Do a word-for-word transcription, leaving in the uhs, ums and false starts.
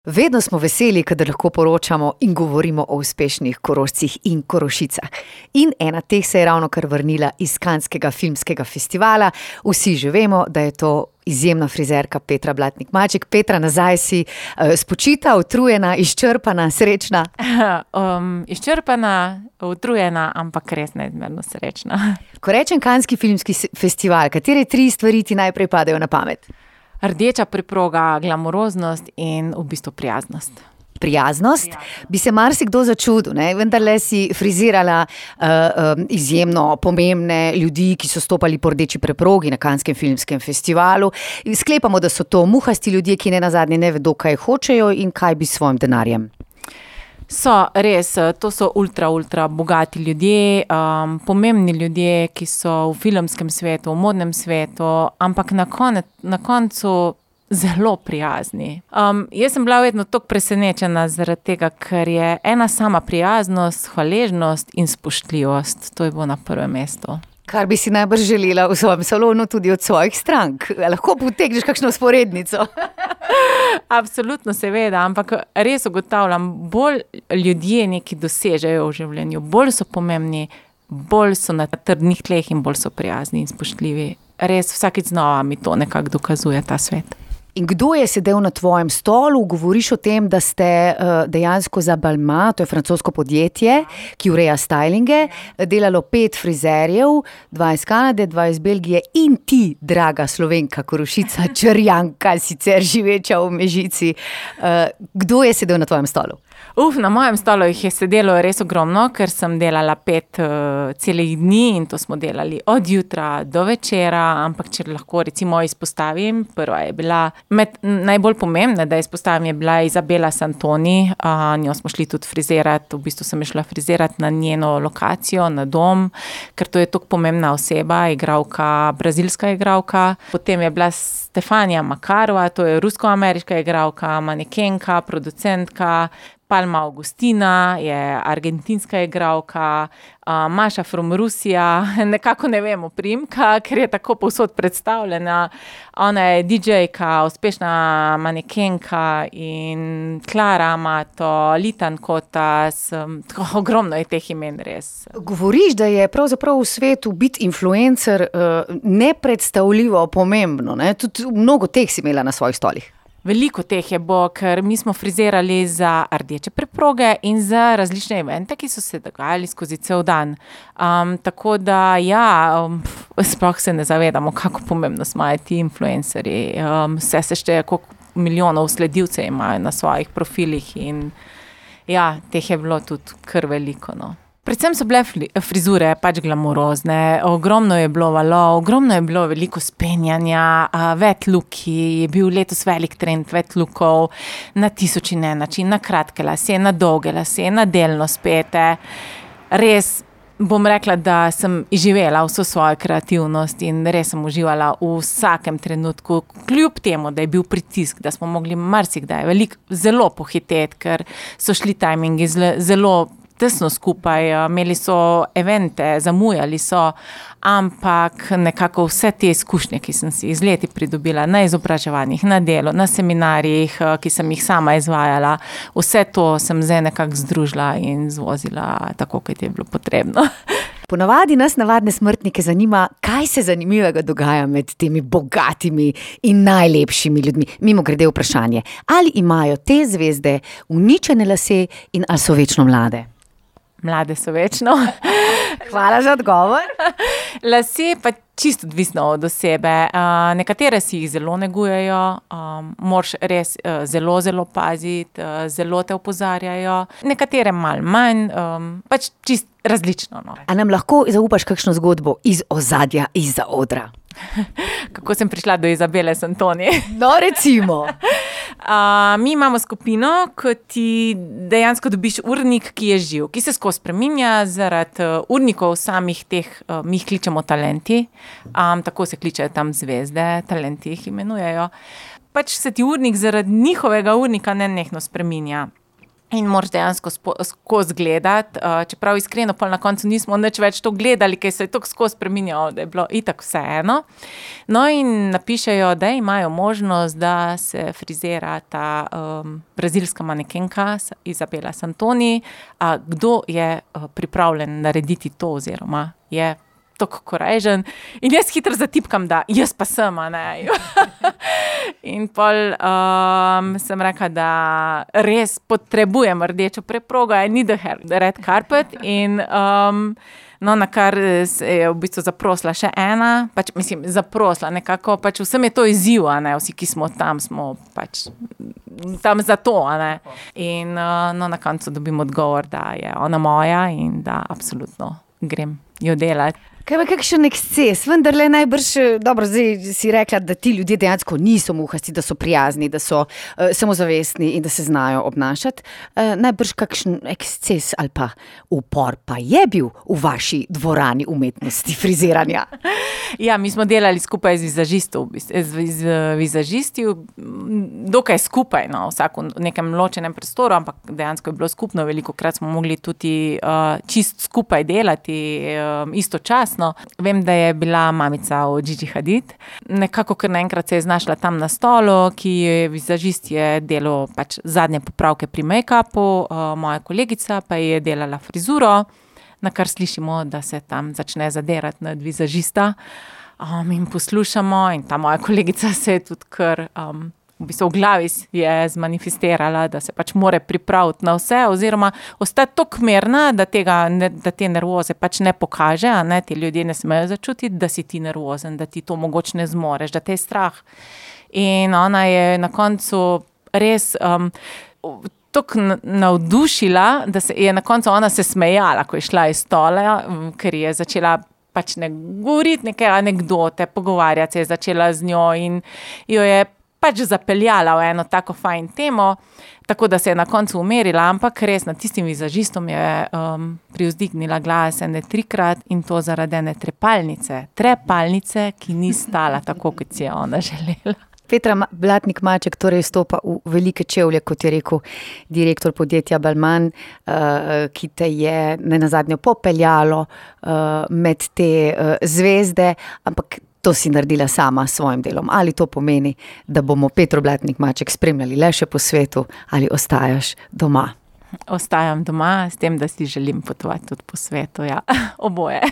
Vedno smo veseli, kadar lahko poročamo in govorimo o uspešnih Korošcih in Korošicah. In ena teh se je ravno kar vrnila iz Canskega filmskega festivala. Vsi že vemo, da je to izjemna frizerka Petra Blatnik Maček. Petra, nazaj si uh, spočita, utrujena, izčrpana, srečna? Um, izčrpana, utrujena, ampak res neizmerno srečna. Ko rečem Canski filmski festival, katere tri stvari ti najprej padejo na pamet? Rdeča preproga, glamuroznost in v bistvu prijaznost. Prijaznost? Bi se marsikdo začudil, ne? Vendarle si frizirala uh, um, izjemno pomembne ljudi, ki so stopali po rdeči preprogi na Canskem filmskem festivalu. Sklepamo, da so to muhasti ljudje, ki ne nazadnje ne vedo, kaj hočejo in kaj bi s svojim denarjem. So, res, to so ultra, ultra bogati ljudje, um, pomembni ljudje, ki so v filmskem svetu, v modnem svetu, ampak na, konec, na koncu zelo prijazni. Um, jaz sem bila vedno toliko presenečena zaradi tega, ker je ena sama prijaznost, hvaležnost in spoštljivost. To je bilo na prvem mestu. Kar bi si najbrž želela v svojem salonu tudi od svojih strank. Lahko potegneš kakšno vzporednico. Absolutno, seveda, ampak res ugotavljam, bolj ljudje nekaj dosežejo v življenju, bolj so pomembni, bolj so na trdnih tleh in bolj so prijazni in spoštljivi. Res vsakič znova mi to nekako dokazuje ta svet. In kdo je sedel na tvojem stolu? Govoriš o tem, da ste uh, dejansko za Balmain, to je francosko podjetje, ki ureja stylinge, delalo pet frizerjev, dva iz Kanade, dva iz Belgije in ti, draga Slovenka, Korošica, Črnjanka, sicer živeča v Mežici. Uh, kdo je sedel na tvojem stolu? Uf, na mojem stolu jih je sedelo res ogromno, ker sem delala pet uh, celih dni in to smo delali od jutra do večera, ampak če lahko recimo izpostavim, prva je bila med najbolj pomembna, da izpostavim, je bila Izabela Santoni, uh, njo smo šli tudi frizirati, v bistvu sem šla frizirati na njeno lokacijo, na dom, ker to je tako pomembna oseba, igralka, brazilska igralka. Potem je bila Stefania Makarova, to je rusko-ameriška igralka, manekenka, producentka. Palma Augustina je argentinska igralka, uh, Maša from Rusija, nekako ne vemo primka, ker je tako povsod predstavljena. Ona je didžejka, uspešna manekenka in Klara Amato, Litan Kotas, um, ogromno je teh imen res. Govoriš, da je pravzaprav v svetu biti influencer uh, nepredstavljivo pomembno, ne? Tudi mnogo teh si imela na svojih stolih. Veliko teh je bo, ker mi smo frizirali za rdeče preproge in za različne evente, ki so se dogajali skozi cel dan. Um, tako da ja, um, sploh se ne zavedamo, kako pomembno smo ti influencerji. Um, vse se šteje, koliko milijonov sledilcev imajo na svojih profilih in ja, teh je bilo tudi kar veliko, no. Predvsem so bile frizure pač glamurozne, ogromno je bilo valov, ogromno je bilo veliko spenjanja, wet looki, je bil letos velik trend wet lookov, na tisoč in en način, na kratke lase, na dolge lase, na delno spete. Res bom rekla, da sem izživela vso svojo kreativnost in res sem uživala v vsakem trenutku, kljub temu, da je bil pritisk, da smo mogli marsikdaj veliko zelo pohiteti, ker so šli tajmingi zelo tesno skupaj, imeli so evente, zamujali so, ampak nekako vse te izkušnje, ki sem si iz leti pridobila na izobraževanjih, na delu, na seminarjih, ki sem jih sama izvajala, vse to sem zdaj nekako združila in zvozila tako, kot je bilo potrebno. Ponavadi nas, navadne smrtnike, zanima, kaj se zanimivega dogaja med temi bogatimi in najlepšimi ljudmi. Mimogrede vprašanje, ali imajo te zvezde uničene lase in ali so večno mlade? Mlade so večno. Hvala za odgovor. Lase pa čisto odvisno od osebe. Uh, nekatere si jih zelo negujejo, um, moraš res uh, zelo, zelo paziti, uh, zelo te opozarjajo. Nekatere malo manj, um, pač čisto različno. No. A nam lahko zaupaš kakšno zgodbo iz ozadja, iz odra? Kako sem prišla do Izabele Santoni? No, recimo. Uh, mi imamo skupino, ko ti dejansko dobiš urnik, ki je živ, ki se skozi spreminja zaradi uh, urnikov samih teh, uh, mi jih kličemo talenti, um, tako se kličejo tam zvezde, talenti jih imenujejo. Pač se ti urnik zaradi njihovega urnika nenehno spreminja. In moraš dejansko skozi gledati, uh, čeprav iskreno pol na koncu nismo nič več to gledali, ker se je tako skozi spreminjalo, da je bilo itak vseeno. No in napišejo, da imajo možnost, da se frizira ta um, brazilska manekenka Izabela Santoni. A kdo je uh, pripravljen narediti to oziroma je tako korežen. In jaz hitro zatipkam, da jaz pa sem, a ne. In pol um, sem rekla, da res potrebujem rdečo preprogo, I need a red carpet. In um, no, na kar se je v bistvu zaprosila še ena, pač mislim, zaprosila nekako, pač vsem je to izziv, a ne, vsi, ki smo tam, smo pač tam za to, a ne. In uh, no, na koncu dobim odgovor, da je ona moja in da absolutno grem jo delati. Kaj pa kakšen eksces, vendar le najbrž, dobro, zdaj si rekla, da ti ljudje dejansko niso muhasti, da so prijazni, da so uh, samozavestni in da se znajo obnašati. Uh, najbrž kakšen eksces ali pa upor pa je bil v vaši dvorani umetnosti friziranja. Ja, mi smo delali skupaj z vizažistov, z, z vizažisti, dokaj skupaj, no, vsak v nekem ločenem prostoru, ampak dejansko je bilo skupno, velikokrat smo mogli tudi uh, čist skupaj delati, uh, istočasno. Vem, da je bila mamica od Gigi Hadid. Nekako kar naenkrat se je znašla tam na stolu, ki je vizažist je delal pač zadnje popravke pri make-upu, uh, moja kolegica pa je delala frizuro, na kar slišimo, da se tam začne zadirati nad vizažista. Um, in poslušamo in ta moja kolegica se je tudi kar... Um, v bistvu v glavi je zmanifestirala, da se pač more pripraviti na vse oziroma ostati tako mirna, da, tega, ne, da te nervoze pač ne pokaže, a ne, ti ljudje ne smejo začutiti, da si ti nervozen, da ti to mogoče ne zmoreš, da te je strah. In ona je na koncu res um, tako navdušila, da se je na koncu ona se smejala, ko je šla iz stola, ker je začela pač ne govoriti neke anekdote, pogovarjati se je začela z njo in jo je pač zapeljala v eno tako fajn temo, tako da se je na koncu umerila, ampak res nad tistim vizažistom je um, privzdignila glas ene trikrat in to zaradi ene trepalnice. Trepalnice, ki ni stala tako, kot si je ona želela. Petra Blatnik Maček torej stopa v velike čevlje, kot je rekel direktor podjetja Balmain, uh, ki te je nenazadnje popeljalo uh, med te uh, zvezde, ampak to si naredila sama s svojim delom. Ali to pomeni, da bomo Petro Blatnik Maček spremljali le še po svetu ali ostajaš doma? Ostajam doma, s tem, da si želim potovati tudi po svetu, ja, oboje.